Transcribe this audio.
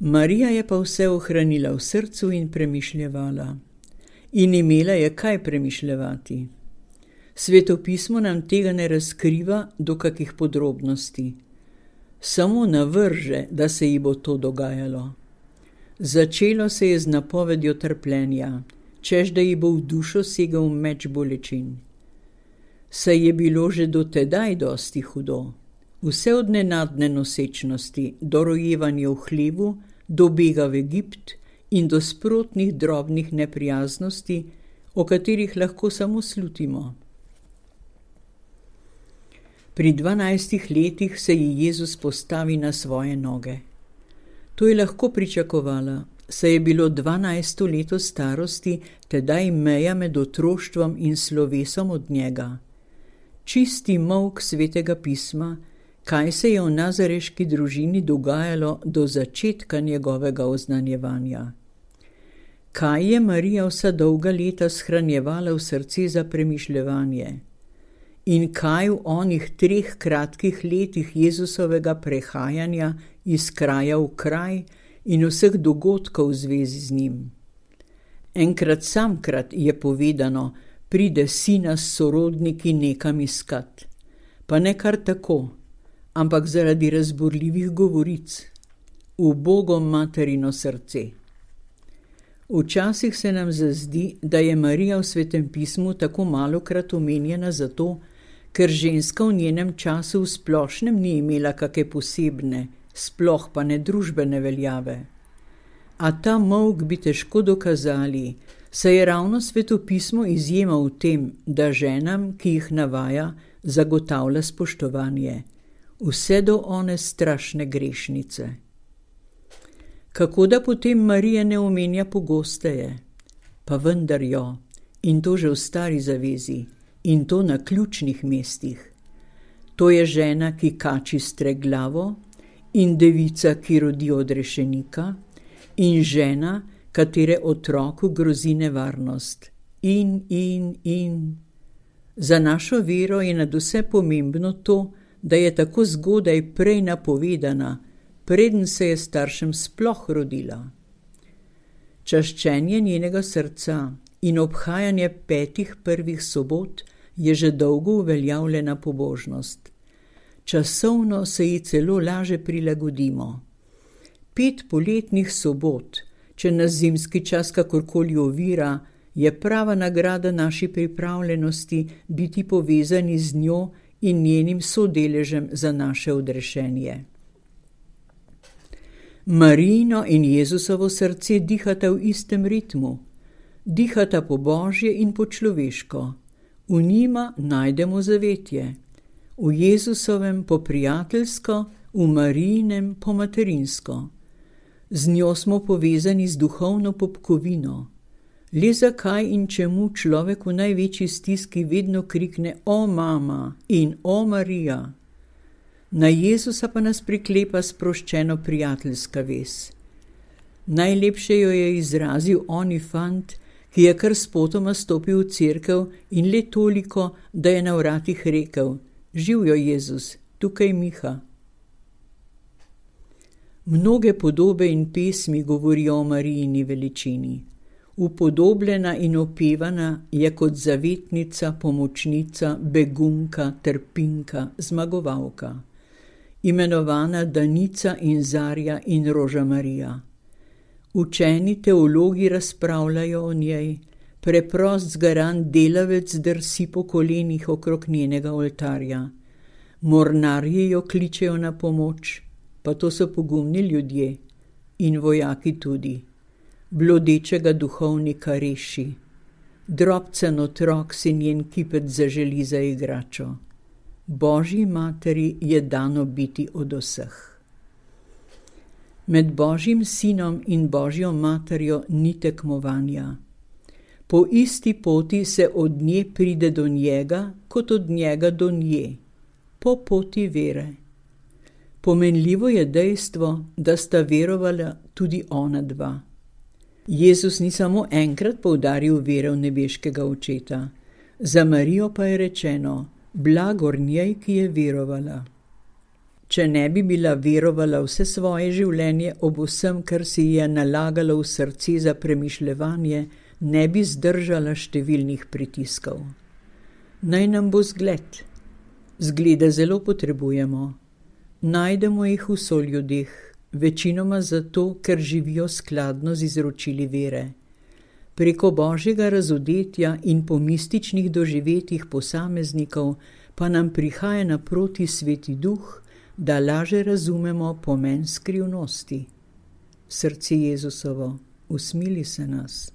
Marija je pa vse ohranila v srcu in premišljevala. In imela je kaj premišljevati. Svetopismo nam tega ne razkriva do kakih podrobnosti. Samo navrže, da se ji bo to dogajalo. Začelo se je z napovedjo trpljenja, češ da ji bo v dušo segal meč bolečin. Saj je bilo že do tedaj dosti hudo. Vse od nenadne nosečnosti do rojevanja v hlevu, do bega v Egipt in do sprotnih drobnih neprijaznosti, o katerih lahko samo slutimo. Pri 12 letih se ji Jezus postavi na svoje noge. To je lahko pričakovala, saj je bilo 12. leto starosti tedaj meja med otroštvom in slovesom od njega. Čisti molk svetega pisma, kaj se je v nazareški družini dogajalo do začetka njegovega oznanjevanja. Kaj je Marija vsa dolga leta shranjevala v srce za premišljevanje? In kaj v onih 3 kratkih letih Jezusovega prehajanja iz kraja v kraj in vseh dogodkov v zvezi z njim? Enkrat samkrat je povedano, pride sina s sorodniki nekam iskat. Pa ne kar tako, ampak zaradi razburljivih govoric. Ubogo materino srce. Včasih se nam zazdi, da je Marija v Svetem pismu tako malokrat omenjena zato, ker ženska v njenem času v splošnem ni imela kake posebne, sploh pa ne družbene veljave. A ta molk bi težko dokazali, saj je ravno Svetopismo izjema v tem, da ženam, ki jih navaja, zagotavlja spoštovanje, vse do one strašne grešnice. Kako da potem Marija ne omenja pogosteje? Pa vendar jo, in to že v Stari zavezi, in to na ključnih mestih. To je žena, ki kači streglavo, in devica, ki rodi odrešenika, in žena, katere otroku grozi nevarnost. In. Za našo vero je nadvse pomembno to, da je tako zgodaj prej napovedana, preden se je staršem sploh rodila. Čaščenje njenega srca in obhajanje 5 prvih sobot je že dolgo uveljavljena pobožnost. Časovno se ji celo laže prilagodimo. 5 poletnih sobot, če nas zimski čas kakorkoli ovira, je prava nagrada naši pripravljenosti biti povezani z njo in njenim sodeležem za naše odrešenje. Marijino in Jezusovo srce dihata v istem ritmu, dihata po božje in po človeško. V njima najdemo zavetje, v Jezusovem po prijateljsko, v Marijinem po materinsko. Z njo smo povezani z duhovno popkovino. Le zakaj in čemu človek v največji stiski vedno krikne o mama in o Marija? Na Jezusa pa nas priklepa sproščeno prijateljska vez. Najlepše jo je izrazil oni fant, ki je kar spotoma stopil v cerkev in le toliko, da je na vratih rekel: Živjo Jezus, tukaj Miha. Mnoge podobe in pesmi govorijo o Marijini veličini. Upodobljena in opevana je kot zavetnica, pomočnica, begunka, trpinka, zmagovalka. Imenovana Danica in Zarja in Roža Marija. Učeni teologi razpravljajo o njej, preprost zgaran delavec drsi po kolenih okrog njenega oltarja. Mornarji jo kličejo na pomoč, pa to so pogumni ljudje, in vojaki tudi. Blodečega duhovnika reši. Drobcen otrok si njen kipec zaželi za igračo. Božji materi je dano biti od vseh. Med Božjim sinom in Božjo materjo ni tekmovanja. Po isti poti se od nje pride do njega, kot od njega do nje. Po poti vere. Pomenljivo je dejstvo, da sta verovala tudi ona dva. Jezus ni samo enkrat poudaril vero v nebeškega očeta. Za Marijo pa je rečeno: blagor njej, ki je verovala. Če ne bi bila verovala vse svoje življenje ob vsem, kar si je nalagalo v srce za premišljevanje, ne bi zdržala številnih pritiskov. Naj nam bo zgled. Zglede zelo potrebujemo. Najdemo jih v soljudeh, večinoma zato, ker živijo skladno z izročili vere. Preko božjega razodetja in po mističnih doživetjih posameznikov pa nam prihaja naproti Sveti Duh, da laže razumemo pomen skrivnosti. Srce Jezusovo, usmili se nas.